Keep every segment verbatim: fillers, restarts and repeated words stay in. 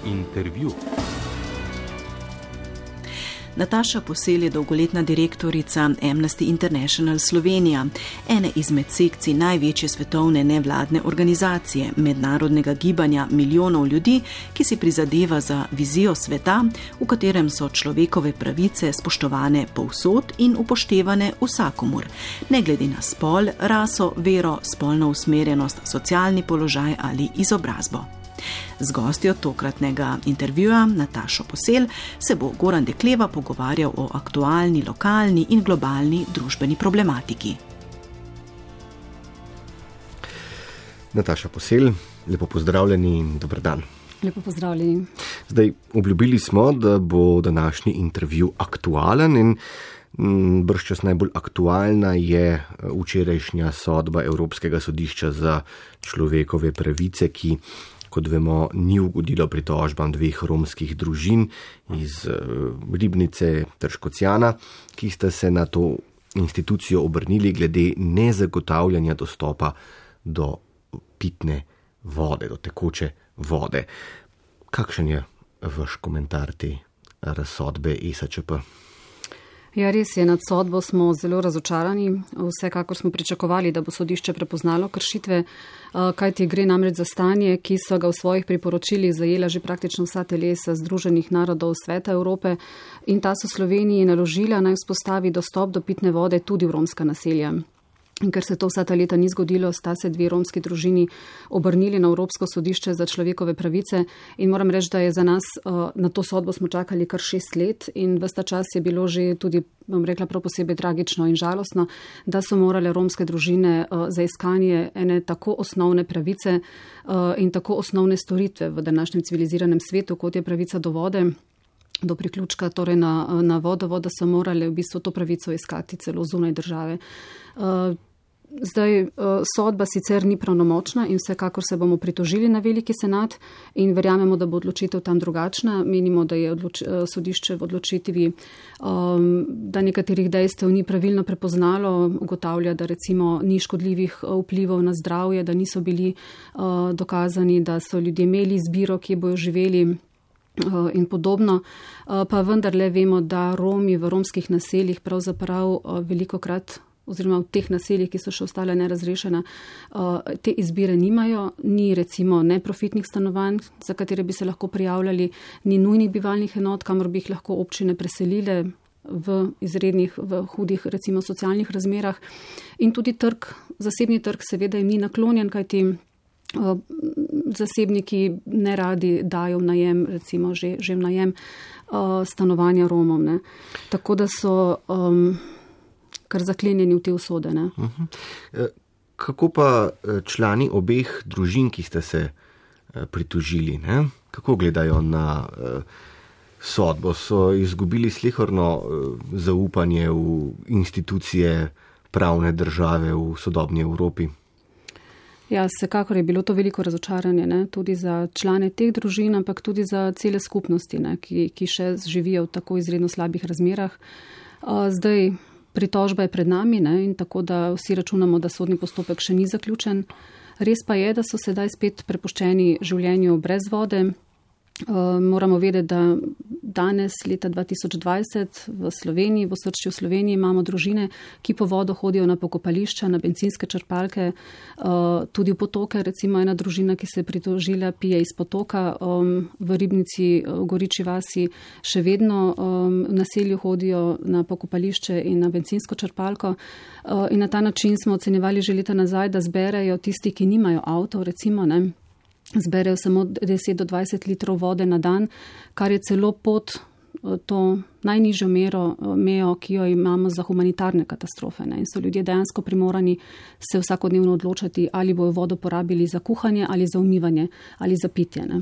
Intervju. Nataša Posel je dolgoletna direktorica Amnesty International Slovenija, ene izmed sekcij največje svetovne nevladne organizacije, mednarodnega gibanja milijonov ljudi, ki si prizadeva za vizijo sveta, v katerem so človekove pravice spoštovane povsod in upoštevane vsakomur, ne glede na spol, raso, vero, spolno usmerjenost, socialni položaj ali izobrazbo. Z gostjo tokratnega intervjuja, Natašo Posel, se bo Goran Dekleva pogovarjal o aktualni, lokalni in globalni družbeni problematiki. Nataša Posel, lepo pozdravljeni in dober dan. Lepo pozdravljeni. Zdaj, obljubili smo, da bo današnji intervju aktualen in bržčas najbolj aktualna je včerajšnja sodba Evropskega sodišča za človekove pravice, ki, kot vemo, ni ugodilo pritožbam dveh romskih družin iz Ribnice ter Škocjana, ki sta se na to institucijo obrnili glede nezagotavljanja dostopa do pitne vode, do tekoče vode. Kakšen je vaš komentar te razsodbe E S Č P? Ja, res je, nad sodbo smo zelo razočarani. Vsekakor smo pričakovali, da bo sodišče prepoznalo kršitve, kajti gre namreč za stanje, ki so ga v svojih priporočilih zajela že praktično vsa telesa Združenih narodov Sveta Evrope in ta so Sloveniji naložila naj vzpostavi dostop do pitne vode tudi v romska naselja. In ker se to vsa ta leta ni zgodilo, sta se dve romski družini obrnili na Evropsko sodišče za človekove pravice in moram reči, da je za nas na to sodbo smo čakali kar šest let in ves ta čas je bilo že tudi, bom rekla, prav posebej tragično in žalostno, da so morale romske družine za iskanje ene tako osnovne pravice in tako osnovne storitve v današnjem civiliziranem svetu, kot je pravica do vode, do priključka, torej na, na vodovod, da so morale v bistvu to pravico iskati celo zunaj države. Zdaj, sodba sicer ni pravnomočna in vsekakor se bomo pritožili na veliki senat in verjamemo, da bo odločitev tam drugačna. Menimo, da je odloč, sodišče v odločitvi, da nekaterih dejstev ni pravilno prepoznalo, ugotavlja, da recimo ni škodljivih vplivov na zdravje, da niso bili dokazani, da so ljudje imeli izbiro, kje bojo živeli in podobno, pa vendarle vemo, da Romi v romskih naseljih pravzaprav velikokrat oziroma v teh naseljih, ki so še ostale nerazrešena, te izbire nimajo, ni recimo neprofitnih stanovanj, za katere bi se lahko prijavljali, ni nujnih bivalnih enot, kamor bi jih lahko občine preselile v izrednih, v hudih recimo socialnih razmerah in tudi trg, zasebni trg seveda jim ni naklonjen, kajti zasebniki ne radi dajo v najem, recimo že, že v najem stanovanja Romom. Ne. Tako da so um, kar zaklenjeni v te usode. Ne. Uh-huh. Kako pa člani obeh družin, ki ste se pritožili, ne? Kako gledajo na uh, sodbo? So izgubili slehorno uh, zaupanje v institucije pravne države v sodobni Evropi? Ja, vsekakor je bilo to veliko razočaranje, ne? Tudi za člane teh družin, ampak tudi za cele skupnosti, ne? Ki, ki še živijo v tako izredno slabih razmerah. Zdaj, pritožba je pred nami, ne? In tako da vsi računamo, da sodni postopek še ni zaključen. Res pa je, da so sedaj spet prepuščeni življenju brez vode. Uh, moramo vedeti, da danes, leta dva tisoč dvajset, v Sloveniji, v osrčju Sloveniji imamo družine, ki po vodo hodijo na pokopališča, na bencinske črpalke, uh, tudi v potoke. Recimo ena družina, ki se je pritožila, pije iz potoka. Um, v Ribnici, v Goriči vasi, še vedno um, v naselju hodijo na pokopališče in na bencinsko črpalko. Uh, in na ta način smo ocenjevali že leta nazaj, da zberejo tisti, ki nimajo avtov, recimo, ne, zberejo samo deset do dvajset litrov vode na dan, kar je celo pod to najnižjo mero, mejo, ki jo imamo za humanitarne katastrofe. Ne. In so ljudje dejansko primorani se vsakodnevno odločati, ali bojo vodo porabili za kuhanje, ali za umivanje, ali za pitje. Ne.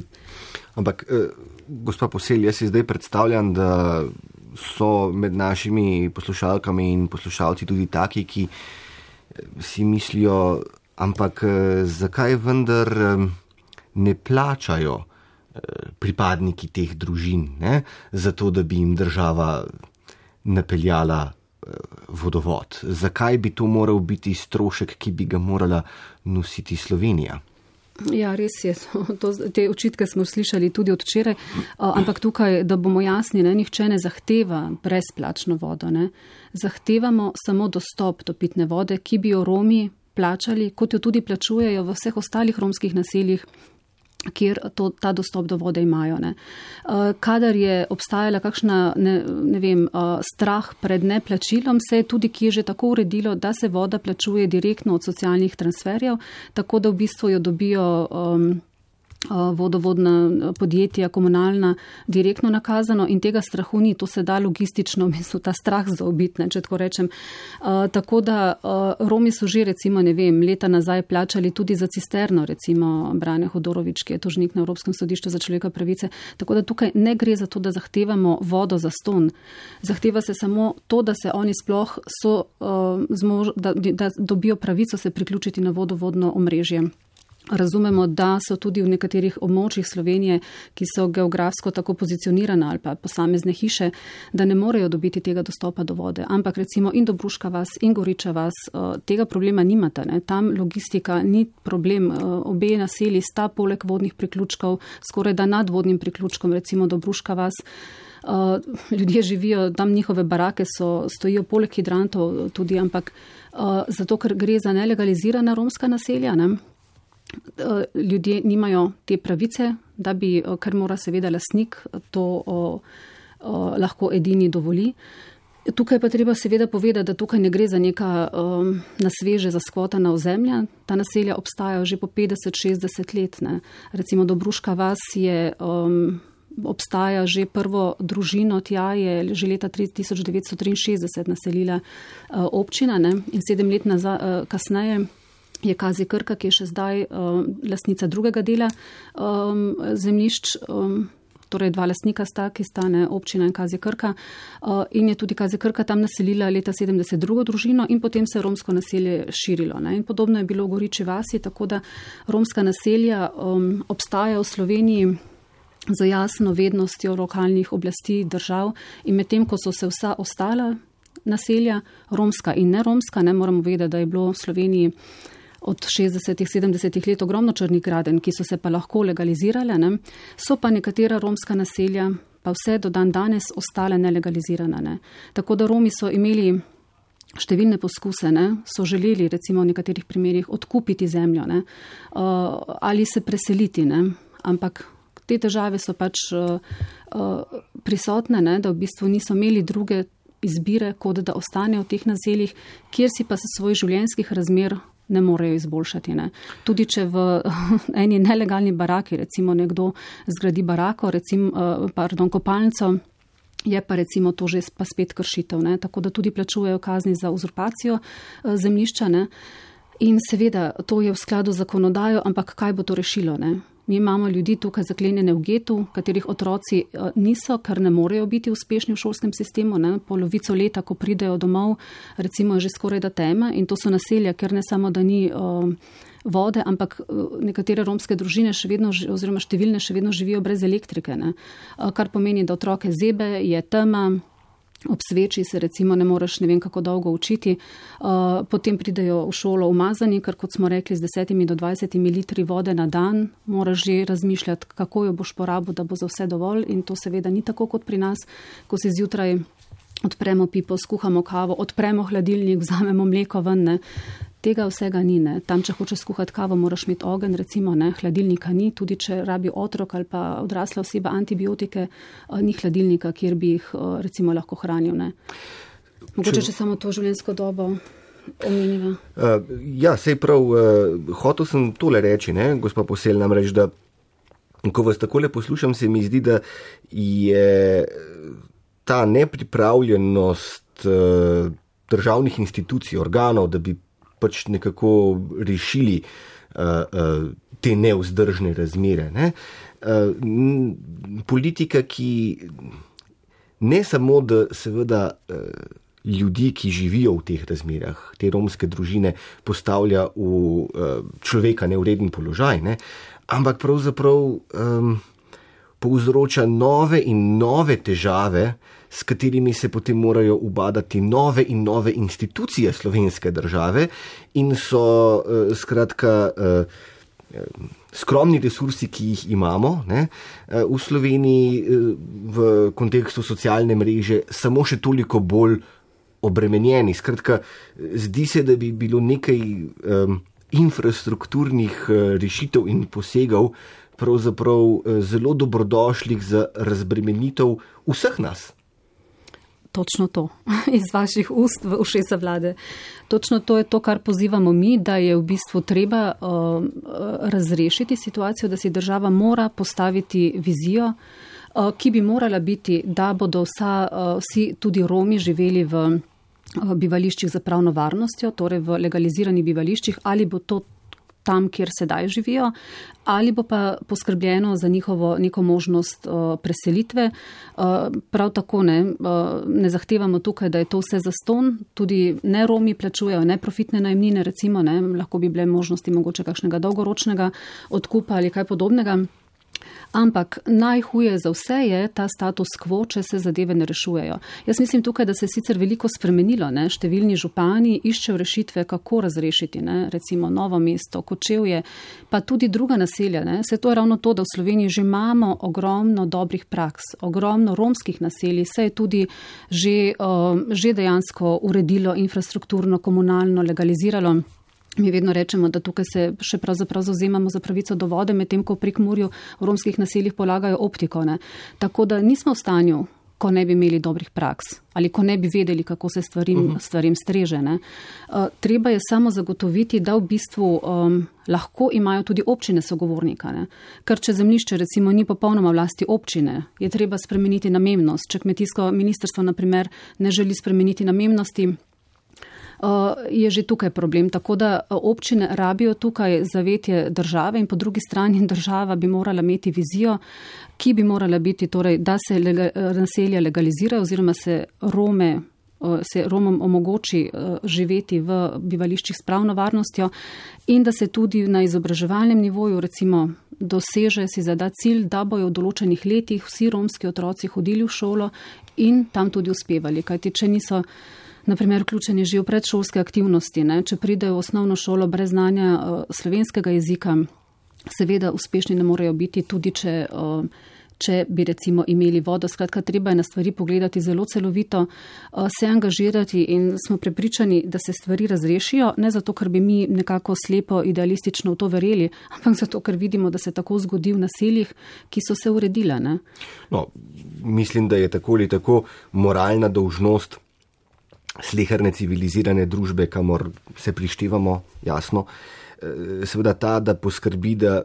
Ampak, eh, gospa Posel, jaz si zdaj predstavljam, da so med našimi poslušalkami in poslušalci tudi taki, ki si mislijo, ampak eh, zakaj vendar eh, ne plačajo pripadniki teh družin, ne, zato da bi jim država napeljala vodovod. Zakaj bi to moral biti strošek, ki bi ga morala nositi Slovenija? Ja, res je. To, te očitke smo slišali tudi od včeraj, ampak tukaj, da bomo jasni, ne, nihče ne zahteva brezplačno vodo. Ne. Zahtevamo samo dostop do pitne vode, ki bi jo Romi plačali, kot jo tudi plačujejo v vseh ostalih romskih naseljih, kjer to, ta dostop do vode imajo. Ne. Kadar je obstajala kakšna, ne, ne vem, strah pred neplačilom, se je tudi kje že tako uredilo, da se voda plačuje direktno od socialnih transferjev, tako da v bistvu jo dobijo um, vodovodna podjetja, komunalna, direktno nakazano in tega strahu ni, to se da logistično, mislim, ta strah zaobiti, če tako rečem. Uh, tako da uh, Romi so že recimo, ne vem, leta nazaj plačali tudi za cisterno, recimo Brane Hodorovič, ki je tožnik na Evropskem sodišču za človekove pravice. Tako da tukaj ne gre za to, da zahtevamo vodo za ston. Zahteva se samo to, da se oni sploh so, uh, zmož, da, da dobijo pravico se priključiti na vodovodno omrežje. Razumemo, da so tudi v nekaterih območjih Slovenije, ki so geografsko tako pozicionirane ali pa posamezne hiše, da ne morejo dobiti tega dostopa do vode. Ampak recimo in Dobruška vas in Goriča vas tega problema nimate. Ne? Tam logistika ni problem. Obe naselji sta poleg vodnih priključkov, skoraj da nad vodnim priključkom, recimo Dobruška vas. Ljudje živijo, tam njihove barake so, stojijo poleg hidrantov tudi, ampak zato, ker gre za nelegalizirana romska naselja, ne? Ljudje nimajo te pravice, da bi, ker mora seveda lastnik to o, o, lahko edini dovoli. Tukaj pa treba seveda povedati, da tukaj ne gre za neka um, nasveže zaskvotana ozemlja. Ta naselja obstajajo že po petdeset šestdeset let. Ne. Recimo Dobruška vas je, um, obstaja že prvo družino, tja je že leta tisoč devetsto triinšestdeset naselila uh, občina, ne, in sedem let nazaj, uh, kasneje je Kazi Krka, ki je še zdaj uh, lastnica drugega dela um, zemljišč, um, torej dva lastnika sta, ki sta ne, občina in Kazi Krka. Uh, in je tudi Kazi Krka tam naselila leta sedemdeset drugo družino in potem se je romsko naselje širilo. Ne. In podobno je bilo v Goriči vasi, tako da romska naselja um, obstajajo v Sloveniji z jasno vednostjo lokalnih oblasti držav in medtem, ko so se vsa ostala naselja, romska in neromska, ne moramo vedeti, da je bilo v Sloveniji od šestdesetih, sedemdesetih let ogromno črnih gradenj, ki so se pa lahko legalizirale, ne? So pa nekatera romska naselja pa vse do dan danes ostale nelegalizirane. Ne? Tako da Romi so imeli številne poskuse, ne? So želeli recimo v nekaterih primerjih odkupiti zemljo, ne? Uh, ali se preseliti, ne? Ampak te težave so pač uh, uh, prisotne, ne? Da v bistvu niso imeli druge izbire, kot da ostanejo v teh naseljih, kjer si pa se svoj življenjskih razmer ne morejo izboljšati. Ne. Tudi če v eni nelegalni baraki, recimo nekdo zgradi barako, recimo, pardon, kopalnico, je pa recimo to že pa spet kršitev. Ne. Tako da tudi plačujejo kazni za uzurpacijo zemljišča. Ne. In seveda to je v skladu z zakonodajo, ampak kaj bo to rešilo? Ne. Mi imamo ljudi tukaj zaklenjene v getu, katerih otroci niso, ker ne morejo biti uspešni v šolskem sistemu. Ne. Polovico leta, ko pridejo domov, recimo je že skoraj da tema in to so naselja, ker ne samo, da ni uh, vode, ampak nekatere romske družine še vedno, oziroma številne še vedno živijo brez elektrike. Ne. Uh, kar pomeni, da otroke zebe, je tema, ob sveči se recimo ne moreš ne vem kako dolgo učiti, uh, potem pridejo v šolo umazani, ker kot smo rekli z desetimi do dvajsetimi litri vode na dan, moraš že razmišljati, kako jo boš porabil, da bo za vse dovolj in to seveda ni tako kot pri nas, ko si zjutraj odpremo pipo, skuhamo kavo, odpremo hladilnik, vzamemo mleko ven, ne. Tega vsega ni, ne. Tam, če hočeš skuhati kavo, moraš imeti ogenj, recimo, ne, hladilnika ni, tudi če rabi otrok ali pa odrasla oseba antibiotike, ni hladilnika, kjer bi jih recimo lahko hranil, ne. Mogoče, če, če samo to življenjsko dobo omeniva. Uh, ja, sej prav, uh, hotel sem tole reči, ne, gospa Posel, namreč, da ko vas takole poslušam, se mi zdi, da je ta nepripravljenost uh, državnih institucij, organov, da bi pač nekako rešili uh, uh, te nevzdržne razmere. Ne? Uh, politika, ki ne samo, da seveda uh, ljudi, ki živijo v teh razmerah, te romske družine, postavlja v uh, človeka nevreden položaj, ne? Ampak pravzaprav um, povzroča nove in nove težave, s katerimi se potem morajo ubadati nove in nove institucije slovenske države in so uh, skratka uh, skromni resursi, ki jih imamo, ne, v Sloveniji v kontekstu socialne mreže samo še toliko bolj obremenjeni. Skratka, zdi se, da bi bilo nekaj um, infrastrukturnih rešitev in posegov pravzaprav zelo dobrodošlih za razbremenitev vseh nas. Točno to, iz vaših ust v ušesa vlade. Točno to je to, kar pozivamo mi, da je v bistvu treba uh, razrešiti situacijo, da si država mora postaviti vizijo, uh, ki bi morala biti, da bodo vsa, uh, vsi tudi Romi živeli v uh, bivališčih za pravno varnostjo, torej v legaliziranih bivališčih, ali bo to tam, kjer sedaj živijo, ali bo pa poskrbljeno za njihovo neko možnost uh, preselitve. Uh, prav tako ne, uh, ne zahtevamo tukaj, da je to vse zastonj, tudi ne Romi plačujejo neprofitne najemnine, recimo, ne, lahko bi bile možnosti mogoče kakšnega dolgoročnega odkupa ali kaj podobnega. Ampak najhuje za vse je ta status quo, če se zadeve ne rešujejo. Jaz mislim tukaj, da se je sicer veliko spremenilo. Ne? Številni župani iščejo rešitve, kako razrešiti, ne? Recimo Novo mesto, Kočevje, pa tudi druga naselja. Ne? Se to je ravno to, da v Sloveniji že imamo ogromno dobrih praks, ogromno romskih naselij, se je tudi že, uh, že dejansko uredilo infrastrukturno, komunalno, legaliziralo. Mi vedno rečemo, da tukaj se še pravzaprav zauzemamo za pravico do vode, medtem ko v Prekmurju v romskih naseljih polagajo optiko. Ne. Tako da nismo v stanju, ko ne bi imeli dobrih praks ali ko ne bi vedeli, kako se stvarim, uh-huh. stvarim streže. Ne. Uh, treba je samo zagotoviti, da v bistvu um, lahko imajo tudi občine sogovornika. Ne. Ker če zemljišče recimo ni popolnoma vlasti občine, je treba spremeniti namembnost. Če kmetijsko ministrstvo na primer ne želi spremeniti namembnosti, je že tukaj problem. Tako da občine rabijo tukaj zavetje države in po drugi strani država bi morala imeti vizijo, ki bi morala biti, torej, da se lega, naselja legalizirajo oziroma se Rome, se Romom omogoči živeti v bivališčih s pravno varnostjo in da se tudi na izobraževalnem nivoju recimo doseže si zada cilj, da bojo v določenih letih vsi romski otroci hodili v šolo in tam tudi uspevali. Kajti če niso naprimer vključeni že v predšolske aktivnosti, ne? Če pridejo v osnovno šolo brez znanja uh, slovenskega jezika, seveda uspešni ne morejo biti, tudi če, uh, če bi recimo imeli vodo. Skratka, treba je na stvari pogledati zelo celovito, uh, se angažirati in smo prepričani, da se stvari razrešijo, ne zato, ker bi mi nekako slepo idealistično v to verjeli, ampak zato, ker vidimo, da se tako zgodi v naseljih, ki so se uredile. Ne? No, mislim, da je tako ali tako moralna dolžnost sleherne civilizirane družbe, kamor se prištevamo, jasno, seveda ta, da poskrbi, da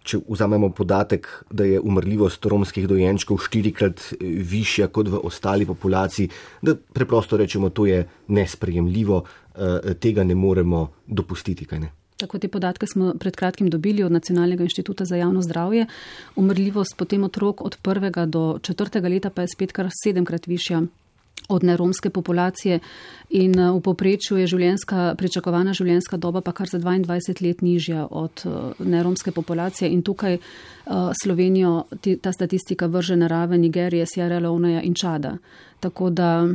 če vzamemo podatek, da je umrljivost romskih dojenčkov štirikrat višja kot v ostali populaciji, da preprosto rečemo, to je nesprejemljivo, tega ne moremo dopustiti, kaj ne? Tako te podatke smo pred kratkim dobili od Nacionalnega inštituta za javno zdravje. Umrljivost potem otrok od prvega do četrtega leta pa je spet kar sedemkrat višja od neromske populacije in v povprečju je življenjska, pričakovana življenjska doba pa kar za dvaindvajset let nižja od neromske populacije in tukaj uh, Slovenijo ta statistika vrže na raven Nigerije, Sierra Leoneja in Čada. Tako da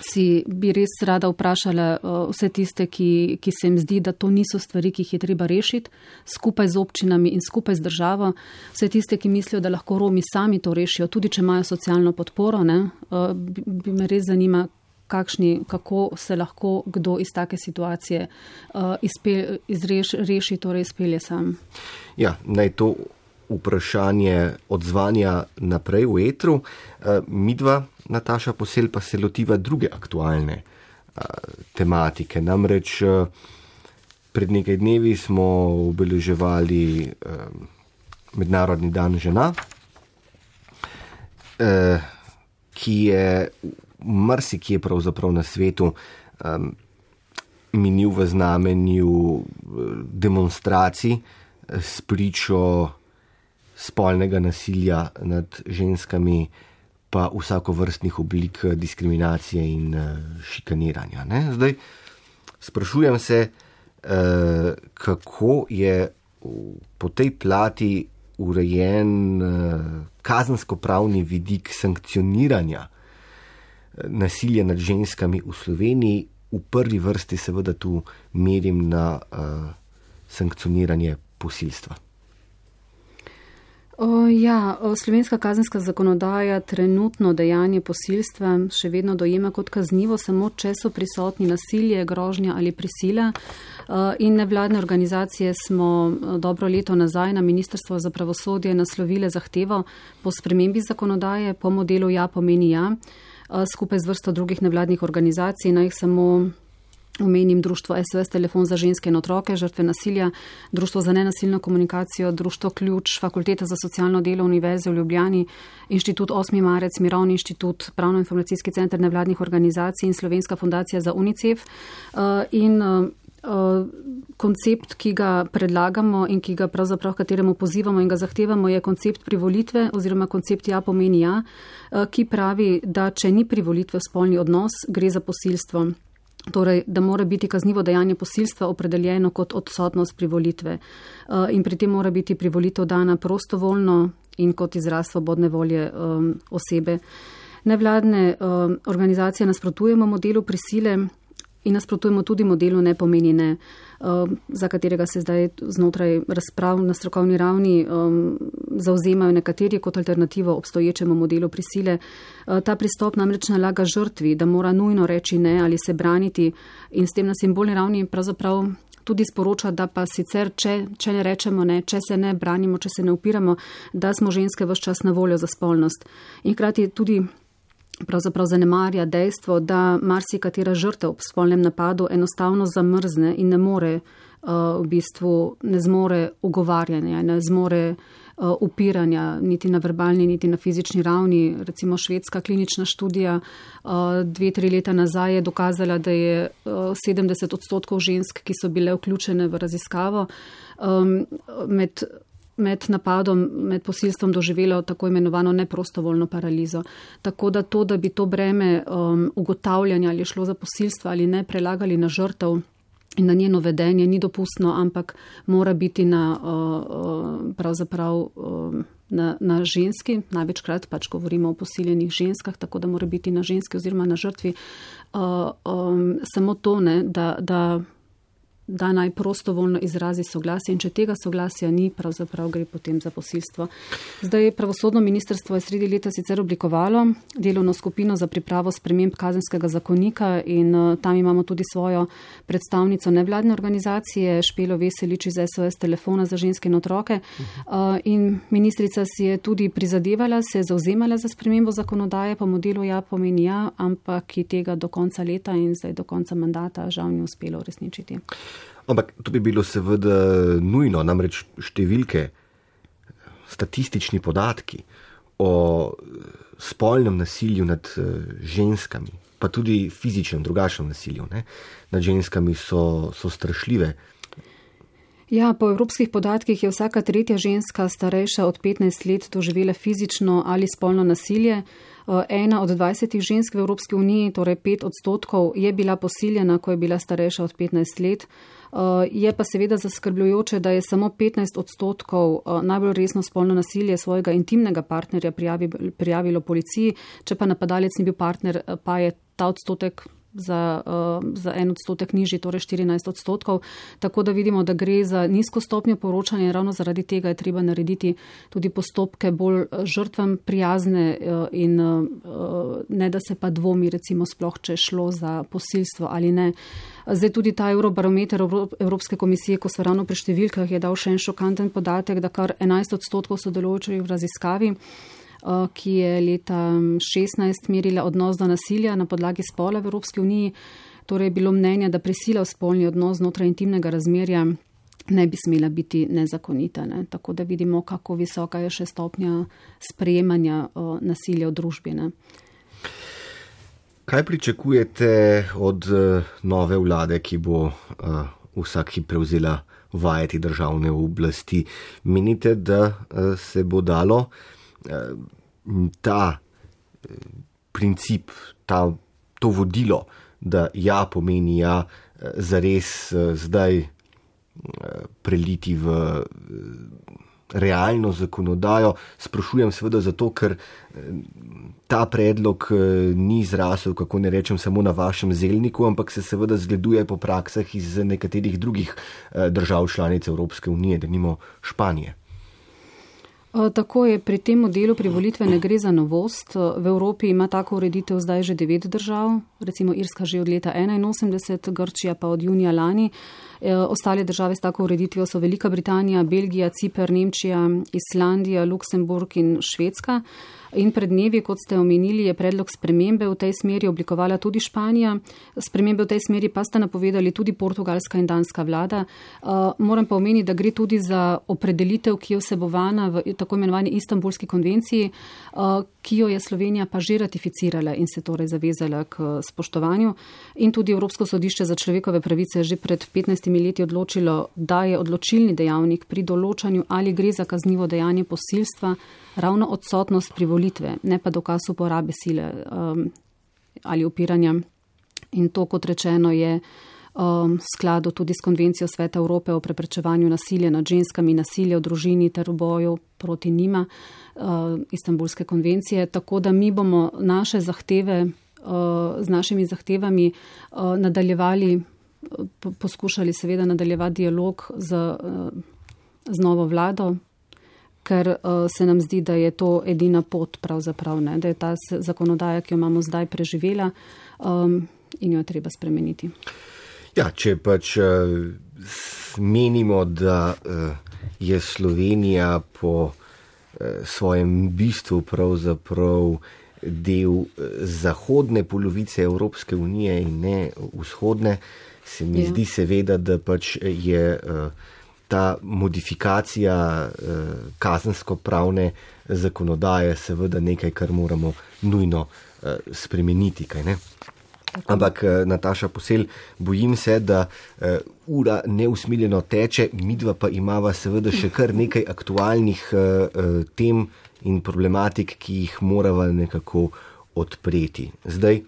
si bi res rada vprašala uh, vse tiste, ki, ki se jim zdi, da to niso stvari, ki jih je treba rešiti skupaj z občinami in skupaj z državo. Vse tiste, ki mislijo, da lahko Romi sami to rešijo, tudi če imajo socialno podporo, ne, uh, bi, bi me res zanima, kakšni, kako se lahko kdo iz take situacije uh, izpe, izreš, reši, torej izpelje sam. Ja, naj to vprašanje odzvanja naprej v etru. Uh, midva, Nataša Posel, pa se lotiva druge aktualne a, tematike. Namreč a, pred nekaj dnevi smo obeleževali a, Mednarodni dan žena, a, ki je marsikje pravzaprav na svetu a, minil v znamenju demonstracij s pričo spolnega nasilja nad ženskami, pa vsakovrstnih oblik diskriminacije in šikaniranja. Ne? Zdaj, sprašujem se, kako je po tej plati urejen kazensko-pravni vidik sankcioniranja nasilja nad ženskami v Sloveniji. V prvi vrsti seveda tu merim na sankcioniranje posilstva. O, ja, slovenska kazenska zakonodaja trenutno dejanje posilstva še vedno dojema kot kaznivo, samo če so prisotni nasilje, grožnja ali prisila. In nevladne organizacije smo dobro leto nazaj na Ministrstvo za pravosodje naslovile zahtevo po spremembi zakonodaje po modelu Ja pomeni ja, skupaj z vrsto drugih nevladnih organizacij. Naj jih samo omenim društvo S O S Telefon za ženske in otroke, žrtve nasilja, društvo za nenasilno komunikacijo, društvo Ključ, Fakulteta za socialno delo Univerze v Ljubljani, Inštitut osmi marec, Mirovni inštitut, Pravno-informacijski center nevladnih organizacij in Slovenska fundacija za UNICEF. In koncept, ki ga predlagamo in ki ga pravzaprav kateremu pozivamo in ga zahtevamo, je koncept privolitve oziroma koncept Ja pomeni ja, ki pravi, da če ni privolitve v spolni odnos, gre za posilstvo. Torej, da mora biti kaznivo dejanje posilstva opredeljeno kot odsotnost privolitve. In pri tem mora biti privolitev dana prostovoljno in kot izraz svobodne volje um, osebe. Nevladne um, organizacije nasprotujemo modelu prisile in nasprotujemo tudi modelu Ne pomeni ne, um, za katerega se zdaj znotraj razprav na strokovni ravni um, zauzemajo nekateri kot alternativo obstoječemu modelu prisile. Uh, ta pristop namreč nalaga žrtvi, da mora nujno reči ne ali se braniti in s tem na simbolni ravni pravzaprav tudi sporoča, da pa sicer, če, če ne rečemo ne, če se ne branimo, če se ne upiramo, da smo ženske ves čas na voljo za spolnost. In hkrati tudi pravzaprav zanemarja dejstvo, da marsikatera žrtev v spolnem napadu enostavno zamrzne in ne more, uh, v bistvu ne zmore ugovarjanja, ne zmore uh, upiranja niti na verbalni, niti na fizični ravni. Recimo švedska klinična študija uh, dve, tri leta nazaj je dokazala, da je uh, sedemdeset odstotkov žensk, ki so bile vključene v raziskavo, um, med med napadom, med posilstvom doživelo tako imenovano neprostovoljno paralizo. Tako da to, da bi to breme um, ugotavljanja, ali je šlo za posilstvo ali ne, prelagali na žrtev in na njeno vedenje, ni dopustno, ampak mora biti na, uh, pravzaprav, um, na, na ženski, največkrat pač govorimo o posiljenih ženskah, tako da mora biti na ženski oziroma na žrtvi. Uh, um, samo to, ne, da, da da naj prostovoljno izrazi soglasje in če tega soglasja ni, pravzaprav gre potem za posilstvo. Zdaj pravosodno ministrstvo je sredi leta sicer oblikovalo delovno skupino za pripravo sprememb kazenskega zakonika in uh, tam imamo tudi svojo predstavnico nevladne organizacije Špelo Veselič iz S O S Telefona za ženske in otroke. Uh, in ministrica si je tudi prizadevala, se je zauzemala za spremembo zakonodaje po modelu Ja pomeni ja, ampak ki tega do konca leta in zdaj do konca mandata žal ni uspelo uresničiti. Ampak to bi bilo seveda nujno, namreč številke, statistični podatki o spolnem nasilju nad ženskami, pa tudi fizičnem, drugačnem nasilju, ne, nad ženskami so, so strašljive. Ja, po evropskih podatkih je vsaka tretja ženska starejša od petnajst let doživela fizično ali spolno nasilje. Ena od dvajsetih žensk v Evropski uniji, torej pet odstotkov, je bila posiljena, ko je bila starejša od petnajst let. Je pa seveda zaskrbljujoče, da je samo petnajst odstotkov najbolj resno spolno nasilje svojega intimnega partnerja prijavilo policiji, če pa napadalec ni bil partner, pa je ta odstotek za, za en odstotek nižji, torej štirinajst odstotkov. Tako da vidimo, da gre za nizko stopnjo poročanja in ravno zaradi tega je treba narediti tudi postopke bolj žrtvam prijazne in ne, da se pa dvomi recimo sploh, če je šlo za posilstvo ali ne. Zdaj tudi ta Eurobarometer Evropske komisije, ko so ravno pri številkah, je dal še en šokanten podatek, da kar enajst odstotkov sodelujočih v raziskavi, ki je leta šestnajst merila odnos do nasilja na podlagi spola v Evropski uniji, torej je bilo mnenje, da prisila v spolni odnos znotraj intimnega razmerja ne bi smela biti nezakonita. Ne? Tako da vidimo, kako visoka je še stopnja sprejemanja o, nasilja v družbi. Ne? Kaj pričakujete od nove vlade, ki bo uh, vsak hip prevzela vajeti državne oblasti? Menite, da uh, se bo dalo ta princip, ta, to vodilo, da ja pomeni ja, zares zdaj preliti v realno zakonodajo? Sprašujem seveda zato, ker ta predlog ni zrasel, kako ne rečem, samo na vašem zelniku, ampak se seveda zgleduje po praksah iz nekaterih drugih držav članic Evropske unije, denimo Španije. Tako je, pri tem modelu privolitve ne gre za novost. V Evropi ima tako ureditev zdaj že devet držav, recimo Irska že od leta enainosemdeset, Grčija pa od junija lani. Ostale države s tako ureditvijo so Velika Britanija, Belgija, Ciper, Nemčija, Islandija, Luksemburg in Švedska. In pred dnevi, kot ste omenili, je predlog spremembe v tej smeri oblikovala tudi Španija. Spremembe v tej smeri pa sta napovedali tudi portugalska in danska vlada. Uh, moram pa omeniti, da gre tudi za opredelitev, ki je vsebovana v tako imenovani Istanbulski konvenciji, uh, ki jo je Slovenija pa že ratificirala in se torej zavezala k spoštovanju. In tudi Evropsko sodišče za človekove pravice je že pred petnajstimi leti odločilo, da je odločilni dejavnik pri določanju, ali gre za kaznivo dejanje posilstva, ravno odsotnost privolitve, ne pa dokaz uporabe sile um, ali upiranja. In to, kot rečeno, je um, v skladu tudi s Konvencijo Sveta Evrope o preprečevanju nasilja nad ženskami, nasilja v družini ter v boju proti njima, uh, Istanbulske konvencije. Tako da mi bomo naše zahteve, uh, z našimi zahtevami uh, nadaljevali, po, poskušali seveda nadaljevati dialog z, uh, z novo vlado, ker uh, se nam zdi, da je to edina pot pravzaprav, ne? Da je ta zakonodaja, ki jo imamo zdaj, preživela um, in jo je treba spremeniti. Ja, če pač uh, menimo, da uh, je Slovenija po uh, svojem bistvu pravzaprav del uh, zahodne polovice Evropske unije in ne vzhodne, se mi ja. zdi seveda, da pač je uh, ta modifikacija eh, kazensko-pravne zakonodaje seveda nekaj, kar moramo nujno eh, spremeniti. Kaj ne? Ampak, eh, Nataša Posel, bojim se, da eh, ura neusmiljeno teče, midva pa imava seveda še kar nekaj aktualnih eh, tem in problematik, ki jih morava nekako odpreti. Zdaj,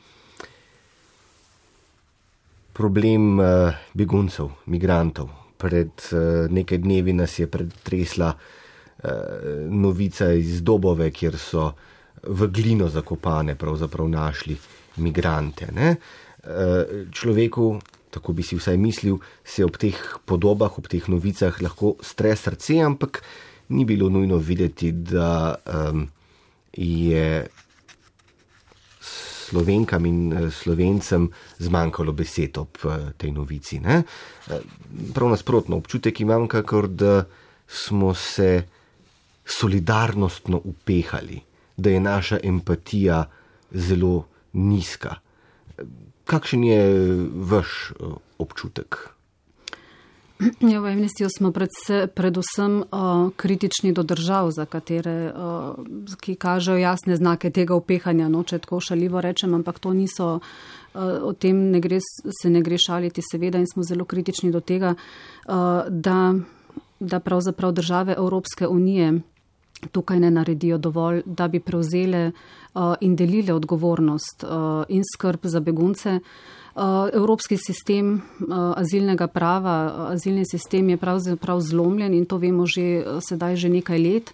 problem eh, beguncev, migrantov. Pred uh, nekaj dnevi nas je pretresla uh, novica iz Dobove, kjer so v glino zakopane pravzaprav našli migrante. Ne? Uh, človeku, tako bi si vsaj mislil, se ob teh podobah, ob teh novicah lahko stre srce, ampak ni bilo nujno videti, da um, je Slovenkam in Slovencem zmanjkalo besed ob tej novici. Ne? Prav nasprotno, občutek imam, kakor da smo se solidarnostno upehali, da je naša empatija zelo nizka. Kakšen je vaš občutek? Ja, v Amnestyju smo predse, predvsem uh, kritični do držav, za katere, uh, ki kažejo jasne znake tega upehanja, no, če tako šaljivo rečem, ampak to niso, uh, o tem ne gre, se ne gre šaliti seveda in smo zelo kritični do tega, uh, da, da pravzaprav države Evropske unije tukaj ne naredijo dovolj, da bi prevzele uh, in delile odgovornost uh, in skrb za begunce. Evropski sistem azilnega prava, azilni sistem je pravzaprav zlomljen in to vemo že sedaj že nekaj let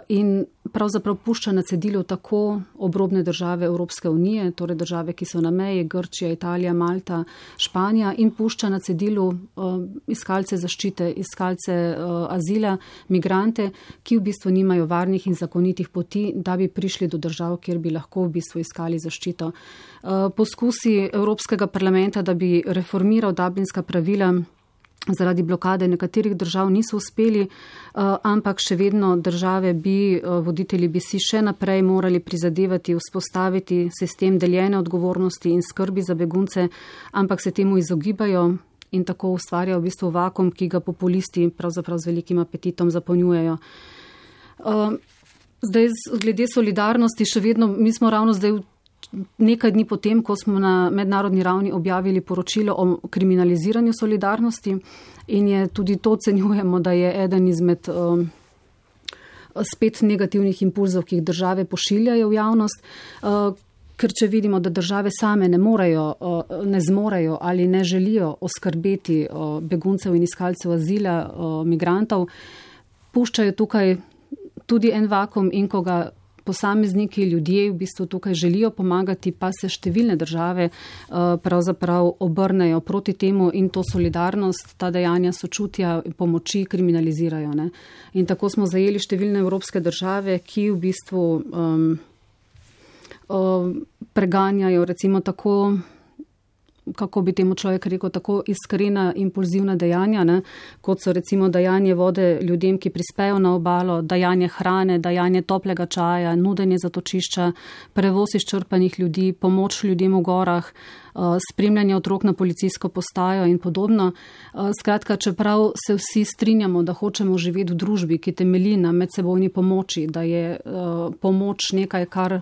in pravzaprav pušča na cedilu tako obrobne države Evropske unije, torej države, ki so na meji, Grčija, Italija, Malta, Španija in pušča na cedilu iskalce zaščite, iskalce azila, migrante, ki v bistvu nimajo varnih in zakonitih poti, da bi prišli do držav, kjer bi lahko v bistvu iskali zaščito. Poskusi Evropskega parlamenta, da bi reformiral dublinska pravila, zaradi blokade nekaterih držav niso uspeli, ampak še vedno države bi, voditelji bi si še naprej morali prizadevati vzpostaviti sistem deljene odgovornosti in skrbi za begunce, ampak se temu izogibajo in tako ustvarjajo v bistvu vakuum, ki ga populisti pravzaprav z velikim apetitom zapolnjujejo. Zdaj, glede solidarnosti, še vedno, mi smo ravno zdaj v nekaj dni potem, ko smo na mednarodni ravni objavili poročilo o kriminaliziranju solidarnosti in je tudi to ocenjujemo, da je eden izmed um, spet negativnih impulzov, ki jih države pošiljajo v javnost, uh, ker če vidimo, da države same ne morejo, uh, ne zmorejo ali ne želijo oskrbeti uh, beguncev in iskalcev azila, uh, migrantov, puščajo tukaj tudi en vakuum in ko ga posamezniki, ljudje v bistvu tukaj želijo pomagati, pa se številne države pravzaprav obrnejo proti temu in to solidarnost, ta dejanja sočutja, pomoči kriminalizirajo. Ne. In tako smo zajeli številne evropske države, ki v bistvu um, um, preganjajo recimo tako, kako bi temu človek rekel, tako iskrena, impulzivna dejanja, ne, kot so recimo dajanje vode ljudem, ki prispejo na obalo, dajanje hrane, dajanje toplega čaja, nudenje zatočišča, prevoz izčrpanih ljudi, pomoč ljudem v gorah, spremljanje otrok na policijsko postajo in podobno. Skratka, čeprav se vsi strinjamo, da hočemo živeti v družbi, ki temelji na medsebojni pomoči, da je pomoč nekaj, kar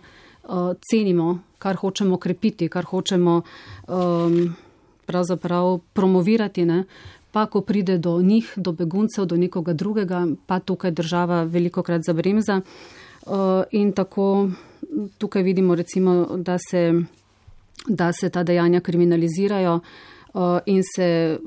cenimo, kar hočemo krepiti, kar hočemo um, pravzaprav promovirati, ne? Pa ko pride do njih, do beguncev, do nekoga drugega, pa tukaj država velikokrat zabremza. Uh, in tako tukaj vidimo recimo, da se, da se ta dejanja kriminalizirajo uh, in se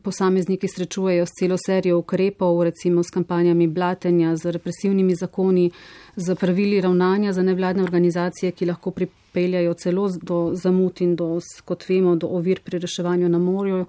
posamezniki srečujejo s celo serijo ukrepov, recimo s kampanjami blatenja, z represivnimi zakoni, z pravili ravnanja za nevladne organizacije, ki lahko pripeljajo celo do zamud in do, kot vemo, do ovir pri reševanju na morju,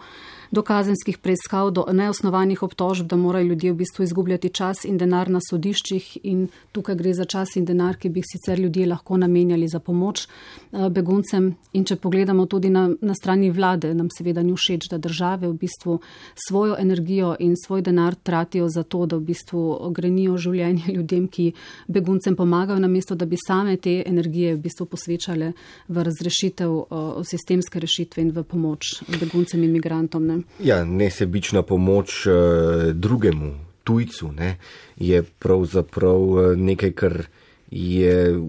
do kazenskih preiskav, do neosnovanih obtožb, da morajo ljudje v bistvu izgubljati čas in denar na sodiščih in tukaj gre za čas in denar, ki bi sicer ljudje lahko namenjali za pomoč beguncem. In če pogledamo tudi na, na strani vlade, nam seveda ni všeč, da države v bistvu svojo energijo in svoj denar tratijo za to, da v bistvu grenijo življenje ljudem, ki beguncem pomagajo, namesto da bi same te energije v bistvu posvečale v razrešitev, v sistemske rešitve in v pomoč beguncem in migrantom. Ne? Ja, nesebična pomoč uh, drugemu, tujcu, ne, je pravzaprav nekaj, kar je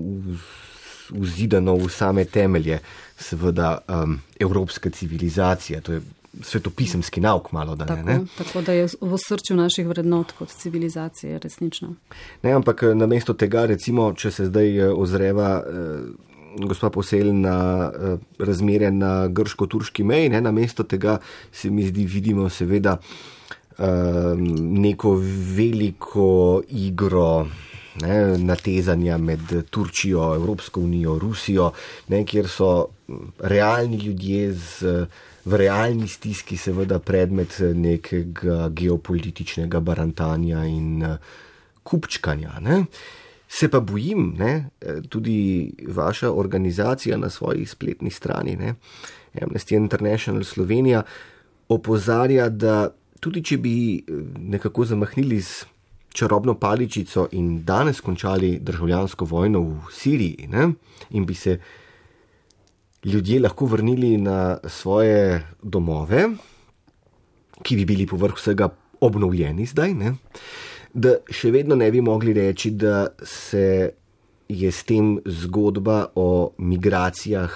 vzidano v same temelje, seveda um, evropska civilizacija, to je svetopisemski nauk malo, da ne. Tako, ne? tako da je v srču naših vrednot kot civilizacije, resnično. Ne, ampak namesto tega, recimo, če se zdaj ozreva uh, gospa Posel na uh, razmere na grško-turški meji, ne, namesto tega se mi zdi, vidimo seveda uh, neko veliko igro, ne, natezanja med Turčijo, Evropsko unijo, Rusijo, ne, kjer so realni ljudje z, v realni stiski seveda predmet nekega geopolitičnega barantanja in uh, kupčkanja. Ne. Se pa bojim, ne, tudi vaša organizacija na svoji spletni strani, ne, Amnesty International Slovenija, opozarja, da tudi če bi nekako zamahnili z čarobno paličico in danes končali državljansko vojno v Siriji, ne, in bi se ljudje lahko vrnili na svoje domove, ki bi bili povrh vsega obnovljeni zdaj, ne, da še vedno ne bi mogli reči, da se je s tem zgodba o migracijah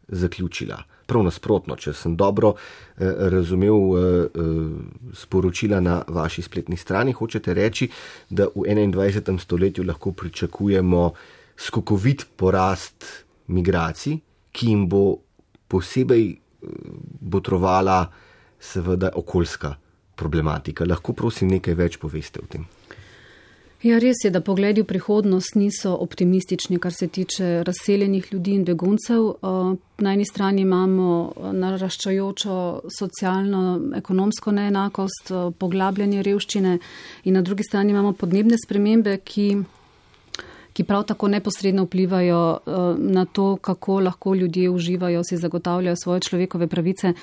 zaključila. Prav nasprotno, če sem dobro eh, razumel eh, sporočila na vaši spletni strani, hočete reči, da v enaindvajsetem stoletju lahko pričakujemo skokovit porast migracij, ki jim bo posebej botrovala seveda okoljska problematika. Lahko prosim nekaj več poveste o tem. Ja, res je, da pogledi v prihodnost niso optimistični, kar se tiče razseljenih ljudi in beguncev. Na eni strani imamo naraščajočo socialno, ekonomsko neenakost, poglabljanje revščine in na drugi strani imamo podnebne spremembe, ki, ki prav tako neposredno vplivajo na to, kako lahko ljudje uživajo, si zagotavljajo svoje človekove pravice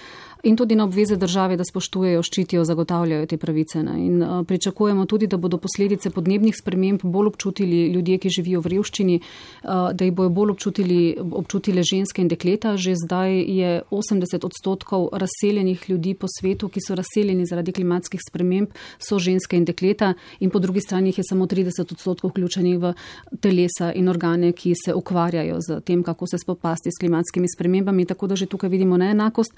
in tudi na obveze države, da spoštujejo, ščitijo, zagotavljajo te pravice. Ne. In uh, pričakujemo tudi, da bodo posledice podnebnih sprememb bolj občutili ljudje, ki živijo v revščini, uh, da jih bojo bolj občutili, občutile ženske in dekleta. Že zdaj je osemdeset odstotkov razseljenih ljudi po svetu, ki so razseljeni zaradi klimatskih sprememb, so ženske in dekleta in po drugi strani jih je samo trideset odstotkov vključenih v telesa in organe, ki se ukvarjajo z tem, kako se spopasti s klimatskimi spremembami, tako da že tukaj vidimo neenakost.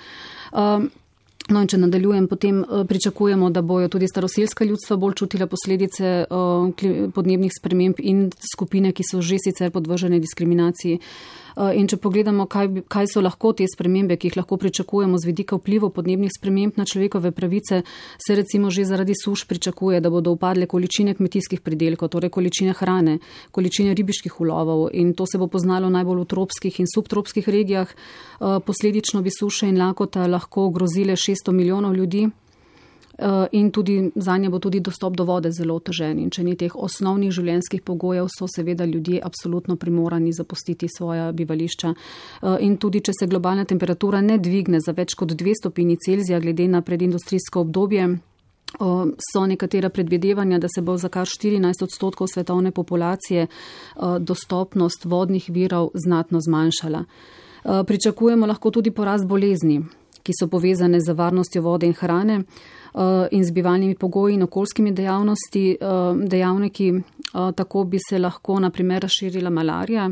Uh, No in če nadaljujem, potem pričakujemo, da bojo tudi staroselska ljudstva bolj čutila posledice podnebnih sprememb in skupine, ki so že sicer podvržene diskriminaciji. In če pogledamo, kaj, kaj so lahko te spremembe, ki jih lahko pričakujemo z vidika vplivov podnebnih sprememb na človekove pravice, se recimo že zaradi suš pričakuje, da bodo upadle količine kmetijskih pridelkov, torej količine hrane, količine ribiških ulovov, in to se bo poznalo najbolj v tropskih in subtropskih regijah. Posledično bi suše in lakota lahko ogrozile šeststo milijonov ljudi. In tudi zanje bo tudi dostop do vode zelo otežen. In če ni teh osnovnih življenjskih pogojev, so seveda ljudje absolutno primorani zapustiti svoja bivališča. In tudi, če se globalna temperatura ne dvigne za več kot dve stopinji Celzija glede na predindustrijsko obdobje, so nekatera predvidevanja, da se bo za kar štirinajst odstotkov svetovne populacije dostopnost vodnih virov znatno zmanjšala. Pričakujemo lahko tudi porast bolezni, ki so povezane z varnostjo vode in hrane in z bivalnimi pogoji in okoljskimi dejavnosti, dejavniki. Tako bi se lahko na primer razširila malarija,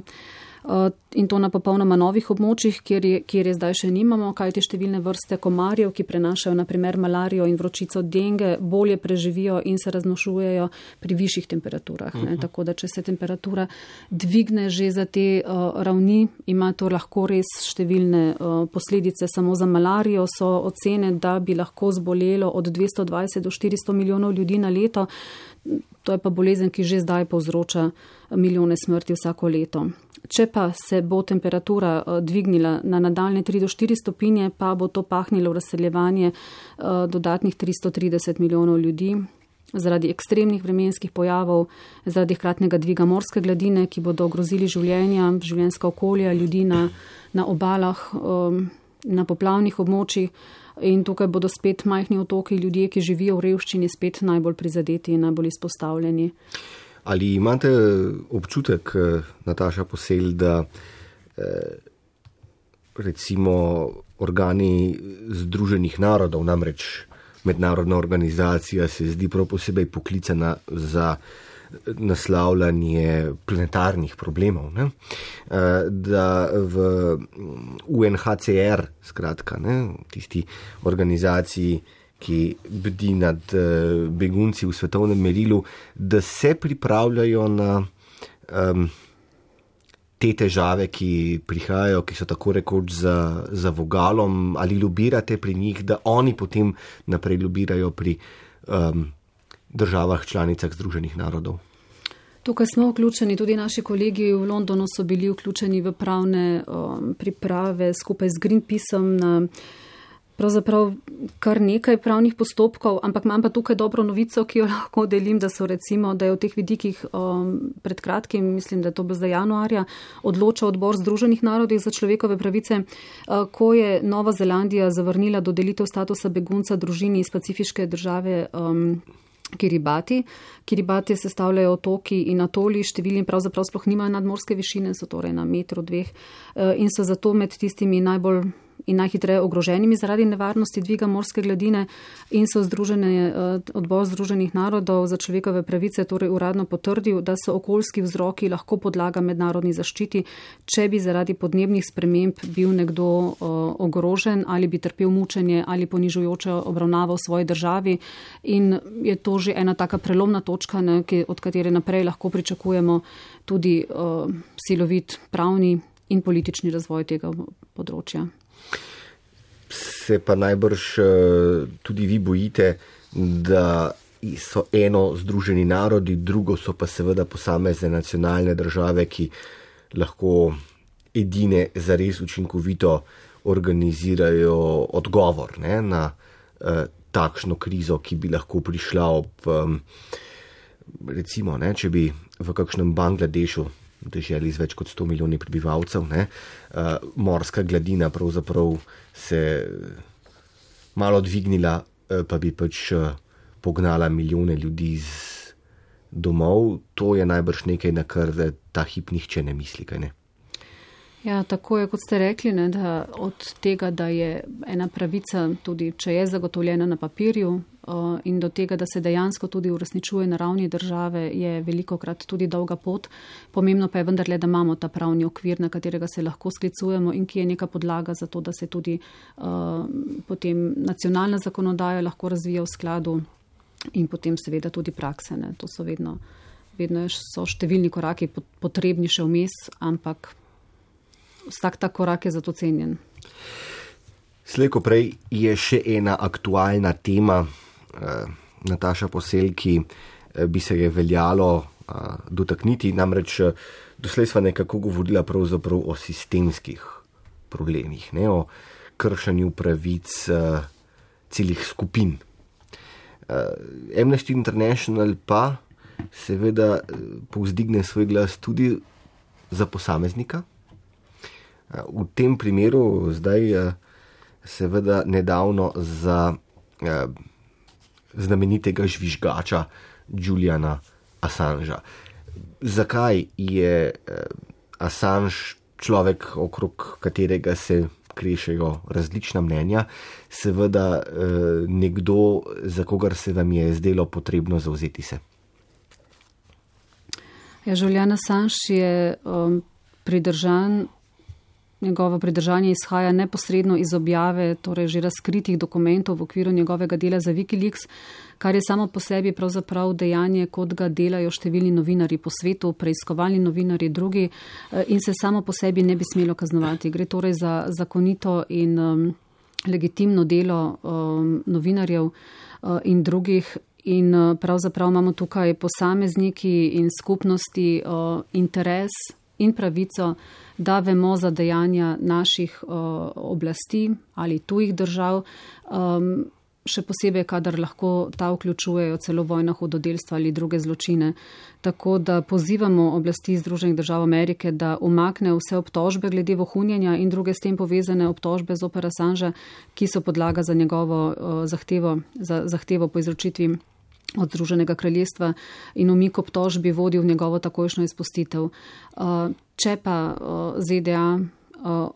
in to na popolnoma novih območjih, kjer je, kjer je zdaj še nimamo, kajti številne vrste komarjev, ki prenašajo na primer malarijo in vročico denge, bolje preživijo in se raznošujejo pri višjih temperaturah. Ne? Tako da, če se temperatura dvigne že za te uh, ravni, ima to lahko res številne uh, posledice. Samo za malarijo so ocene, da bi lahko zbolelo od dvesto dvajset do štiristo milijonov ljudi na leto. To je pa bolezen, ki že zdaj povzroča milijone smrti vsako leto. Če pa se bo temperatura dvignila na nadaljne tri do štiri stopinje, pa bo to pahnilo v razseljevanje dodatnih tristo trideset milijonov ljudi zaradi ekstremnih vremenskih pojavov, zaradi hkratnega dviga morske gladine, ki bodo ogrozili življenja, življenjska okolja ljudi na, na obalah, na poplavnih območjih. In tukaj bodo spet majhni otoki, ljudje, ki živijo v revščini, spet najbolj prizadeti in najbolj izpostavljeni. Ali imate občutek, Nataša Posel, da recimo organi Združenih narodov, namreč mednarodna organizacija, se zdi prav posebej poklicana za naslavljanje planetarnih problemov, ne? Da v U N H C R, skratka, ne, tisti organizaciji, ki bdi nad begunci v svetovnem merilu, da se pripravljajo na um, te težave, ki prihajajo, ki so tako rekoč za, za vogalom, ali lobirate pri njih, da oni potem naprej lobirajo pri um, državah članicah Združenih narodov? Tukaj smo vključeni, tudi naši kolegi v Londonu so bili vključeni v pravne um, priprave skupaj z Greenpeaceom na pravzaprav kar nekaj pravnih postopkov, ampak imam pa tukaj dobro novico, ki jo lahko delim, da so recimo, da je v teh vidikih um, pred kratkim, mislim, da je to bo zdaj januarja, odločal odbor Združenih narodov za človekove pravice, uh, ko je Nova Zelandija zavrnila dodelitev statusa begunca družini iz pacifiške države um, Kiribati. Kiribati sestavljajo otoki in atoli, številni pravzaprav sploh nimajo nadmorske višine, so torej na metru, dveh uh, in so zato med tistimi najbolj in najhitreje ogroženimi zaradi nevarnosti dviga morske gladine in so združene, odbor Združenih narodov za človekove pravice torej uradno potrdil, da so okoljski vzroki lahko podlaga mednarodni zaščiti, če bi zaradi podnebnih sprememb bil nekdo ogrožen ali bi trpel mučenje ali ponižujočo obravnavo v svoji državi. In je to že ena taka prelomna točka, ne, od katere naprej lahko pričakujemo tudi uh, silovit pravni in politični razvoj tega področja. Se pa najbrž tudi vi bojite, da so eno Združeni narodi, drugo so pa seveda posamezne nacionalne države, ki lahko edine zares učinkovito organizirajo odgovor, ne, na eh, takšno krizo, ki bi lahko prišla ob, um, recimo, ne, če bi v kakšnem Bangladešu, deželi z več kot sto milijoni prebivalcev, ne, uh, morska gladina pravzaprav se malo dvignila, uh, pa bi pač uh, pognala milijone ljudi z domov. To je najbrž nekaj, na kar ta hip nihče ne misli, kaj ne? Ja, tako je, kot ste rekli, ne, da od tega, da je ena pravica, tudi če je zagotovljena na papirju, in do tega, da se dejansko tudi uresničuje na ravni države, je velikokrat tudi dolga pot. Pomembno pa je vendarle, da imamo ta pravni okvir, na katerega se lahko sklicujemo in ki je neka podlaga za to, da se tudi uh, potem nacionalna zakonodaja lahko razvija v skladu in potem seveda tudi prakse. Ne. To so vedno, vedno so številni koraki potrebni še vmes, ampak vsak ta korak je zato cenjen. Slej ko prej je še ena aktualna tema, eh, Nataša Posel, ki eh, bi se je veljalo eh, dotakniti, namreč eh, doslej sva nekako govorila pravzaprav o sistemskih problemih, ne, o kršanju pravic eh, celih skupin. Eh, Amnesty International pa seveda eh, povzdigne svoj glas tudi za posameznika. Eh, v tem primeru zdaj eh, seveda nedavno za eh, znamenitega žvižgača Juliana Assangea. Zakaj je eh, Assange človek, okrog katerega se krešejo različna mnenja, seveda eh, nekdo, za kogar se vam je zdelo potrebno zavzeti se? Ja, Julian Assange je um, pridržan. Njegovo pridržanje izhaja neposredno iz objave, torej že razkritih dokumentov v okviru njegovega dela za Wikileaks, kar je samo po sebi pravzaprav dejanje, kot ga delajo številni novinarji po svetu, preiskovalni novinarji drugi in se samo po sebi ne bi smelo kaznovati. Gre torej za zakonito in um, legitimno delo um, novinarjev uh, in drugih. In uh, pravzaprav imamo tukaj posamezniki in skupnosti uh, interes in pravico, da vemo za dejanja naših uh, oblasti ali tujih držav, um, še posebej, kadar lahko ta vključujejo celo vojna hudodelstva ali druge zločine. Tako da pozivamo oblasti Združenih držav Amerike, da umakne vse obtožbe glede vohunjenja in druge s tem povezane obtožbe zoper Assangea, ki so podlaga za njegovo uh, zahtevo, za zahtevo po izročitvi od Združenega kraljestva in umik obtožbi vodi v njegovo takojšnjo izpustitev. Če pa Z D A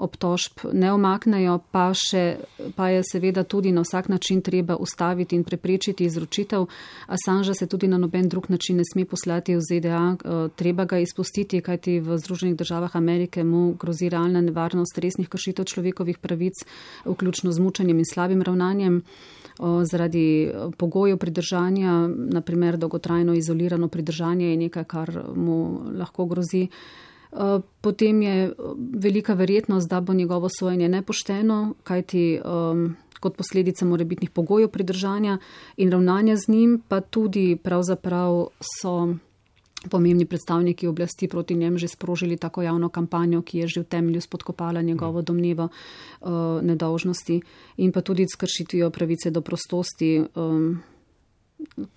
obtožb ne omaknejo, pa, še, pa je seveda tudi na vsak način treba ustaviti in preprečiti izročitev. Assangea se tudi na noben drug način ne sme poslati v Z D A, treba ga izpustiti, kajti v Združenih državah Amerike mu grozi realna nevarnost resnih kršitev človekovih pravic, vključno z mučenjem in slabim ravnanjem. Zaradi pogojev pridržanja, naprimer dolgotrajno izolirano pridržanje je nekaj, kar mu lahko grozi. Potem je velika verjetnost, da bo njegovo sojenje nepošteno, kajti um, kot posledica morebitnih pogojev pridržanja in ravnanja z njim, pa tudi pravzaprav so pomembni predstavniki oblasti proti njem že sprožili tako javno kampanjo, ki je že v temelju spodkopala njegovo domnevo uh, nedolžnosti in pa tudi s kršitvijo pravice do prostosti. Um,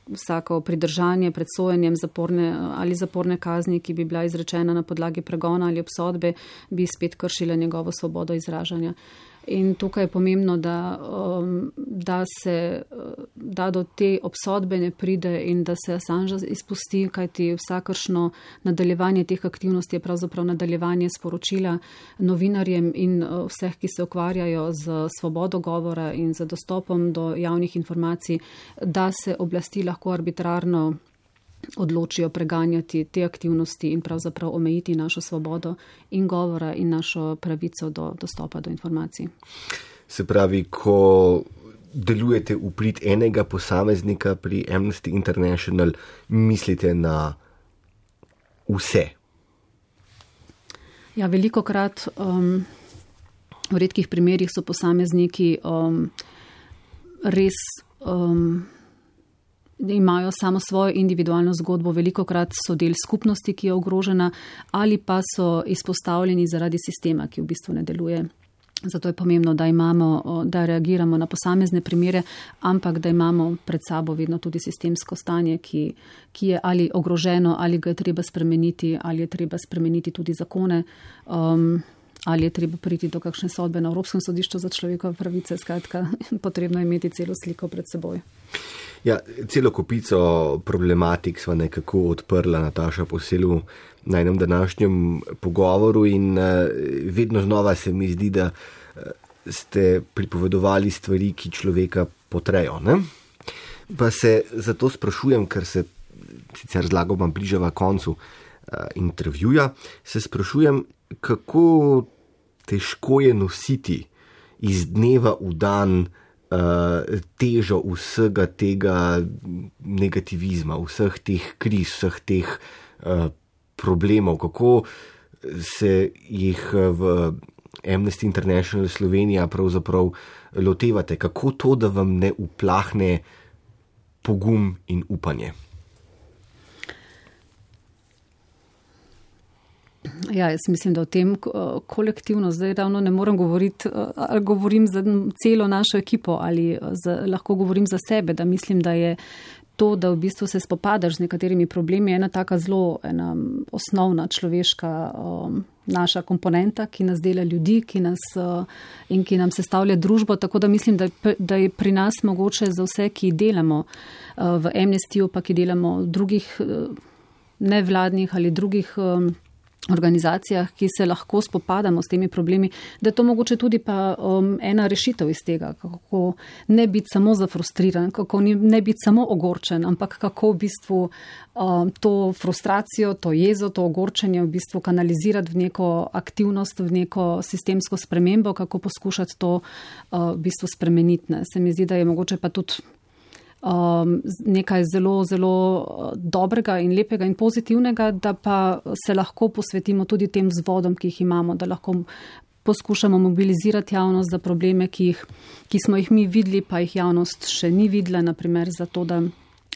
vsako pridržanje pred sojenjem zaporne ali zaporne kazni, ki bi bila izrečena na podlagi pregona ali obsodbe, bi spet kršila njegovo svobodo izražanja. In tukaj je pomembno, da, um, da se da do te obsodbe ne pride in da se Assange izpusti, kajti vsakršno nadaljevanje teh aktivnosti je pravzaprav nadaljevanje sporočila novinarjem in uh, vseh, ki se ukvarjajo z svobodo govora in z dostopom do javnih informacij, da se oblasti lahko arbitrarno odločijo preganjati te aktivnosti in pravzaprav omejiti našo svobodo in govora in našo pravico do dostopa do informacij. Se pravi, ko delujete v prid enega posameznika pri Amnesty International, mislite na vse? Ja, velikokrat um, v redkih primerjih so posamezniki um, res um, imajo samo svojo individualno zgodbo, velikokrat so del skupnosti, ki je ogrožena, ali pa so izpostavljeni zaradi sistema, ki v bistvu ne deluje. Zato je pomembno, da imamo, da reagiramo na posamezne primere, ampak da imamo pred sabo vedno tudi sistemsko stanje, ki, ki je ali ogroženo, ali ga je treba spremeniti, ali je treba spremeniti tudi zakone, um, ali je treba priti do kakšne sodbe na Evropskem sodišču za človekove pravice. Skratka, potrebno je imeti celo sliko pred seboj. Ja, celo kopico problematik sva nekako odprla, Nataša Posel, na enem današnjem pogovoru in vedno znova se mi zdi, da ste pripovedovali stvari, ki človeka potrejo, ne? Pa se zato sprašujem, ker se sicer zlagoma bližava koncu uh, intervjuja, se sprašujem, kako težko je nositi iz dneva v dan uh, težo vsega tega negativizma, vseh teh kriz, vseh teh uh, problemov, kako se jih v Amnesty International Slovenija pravzaprav lotevate, kako to, da vam ne uplahne pogum in upanje? Ja, jaz mislim, da o tem kolektivno zdaj ravno ne morem govoriti, ali govorim za celo našo ekipo ali za, lahko govorim za sebe, da mislim, da je to, da v bistvu se spopadaš z nekaterimi problemi, ena taka zelo ena osnovna človeška um, naša komponenta, ki nas dela ljudi, ki nas uh, in ki nam sestavlja družbo, tako da mislim, da, da je pri nas mogoče za vse, ki delamo uh, v Amnestyju, pa ki delamo v drugih uh, nevladnih ali drugih um, organizacijah, ki se lahko spopadamo s temi problemi, da je to mogoče tudi pa um, ena rešitev iz tega, kako ne biti samo zafrustriran, kako ne biti samo ogorčen, ampak kako v bistvu um, to frustracijo, to jezo, to ogorčenje v bistvu kanalizirati v neko aktivnost, v neko sistemsko spremembo, kako poskušati to uh, v bistvu spremeniti. Ne. Se mi zdi, da je mogoče pa tudi Um, nekaj zelo, zelo dobrega in lepega in pozitivnega, da pa se lahko posvetimo tudi tem vzvodom, ki jih imamo, da lahko poskušamo mobilizirati javnost za probleme, ki, jih, ki smo jih mi videli, pa jih javnost še ni videla, naprimer zato, da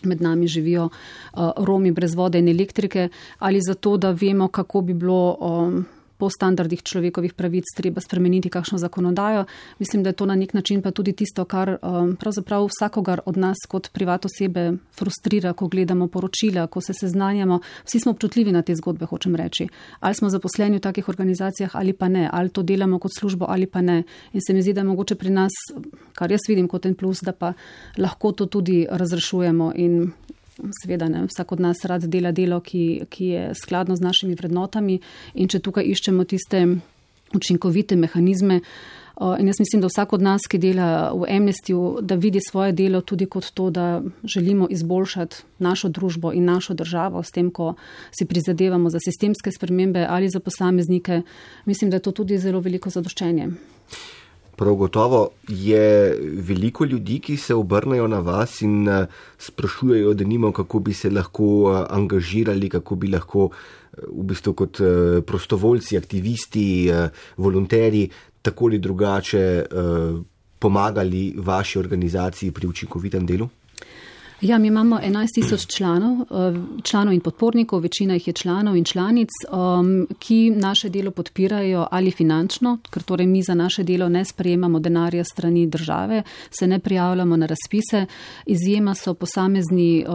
med nami živijo uh, Romi brez vode in elektrike, ali zato, da vemo, kako bi bilo um, po standardih človekovih pravic treba spremeniti kakšno zakonodajo. Mislim, da je to na nek način pa tudi tisto, kar um, pravzaprav vsakogar od nas kot privat osebe frustrira, ko gledamo poročila, ko se seznanjamo. Vsi smo občutljivi na te zgodbe, hočem reči. Ali smo zaposleni v takih organizacijah ali pa ne, ali to delamo kot službo ali pa ne. In se mi zdi, da je mogoče pri nas, kar jaz vidim kot en plus, da pa lahko to tudi razrešujemo in seveda ne, vsak od nas rad dela delo, ki, ki je skladno z našimi vrednotami in če tukaj iščemo tiste učinkovite mehanizme. In jaz mislim, da vsak od nas, ki dela v Amnestyju, da vidi svoje delo tudi kot to, da želimo izboljšati našo družbo in našo državo s tem, ko si prizadevamo za sistemske spremembe ali za posameznike. Mislim, da je to tudi zelo veliko zadoščenje. Prav gotovo je veliko ljudi, ki se obrnejo na vas in sprašujejo, da nimo, kako bi se lahko angažirali, kako bi lahko v bistvu kot prostovoljci, aktivisti, volonterji tako ali drugače pomagali vaši organizaciji pri učinkovitem delu? Ja, mi imamo enajst tisoč članov, članov in podpornikov, večina jih je članov in članic, ki naše delo podpirajo ali finančno, ker torej mi za naše delo ne sprejemamo denarja strani države, se ne prijavljamo na razpise. Izjema so posamezni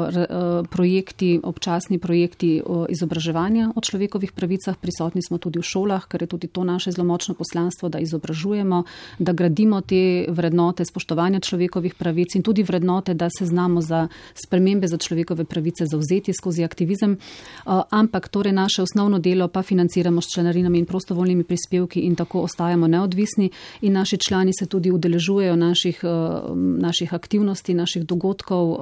projekti, občasni projekti izobraževanja o človekovih pravicah. Prisotni smo tudi v šolah, ker je tudi to naše zelo močno poslanstvo, da izobražujemo, da gradimo te vrednote spoštovanja človekovih pravic in tudi vrednote, da se znamo za spremembe za človekove pravice zavzeti skozi aktivizem, ampak torej naše osnovno delo pa financiramo s članarinami in prostovoljnimi prispevki in tako ostajamo neodvisni in naši člani se tudi udeležujejo naših, naših aktivnosti, naših dogodkov,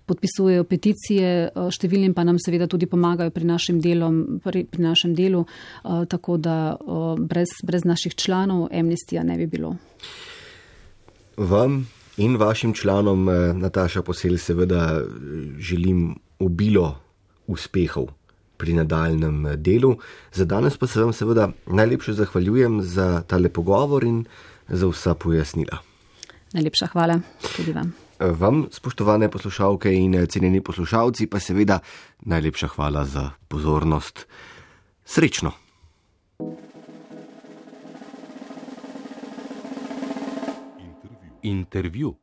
podpisujejo peticije, številnim pa nam seveda tudi pomagajo pri našem, delom, pri, pri našem delu, tako da brez, brez naših članov Amnestyja ne bi bilo. Vam in vašim članom, Nataša Posel, seveda želim obilo uspehov pri nadaljnem delu. Za danes pa se vam seveda najlepše zahvaljujem za tale pogovor in za vsa pojasnila. Najlepša hvala tudi vam. Vam, spoštovane poslušalke in cenjeni poslušalci, pa seveda najlepša hvala za pozornost. Srečno! Intervju.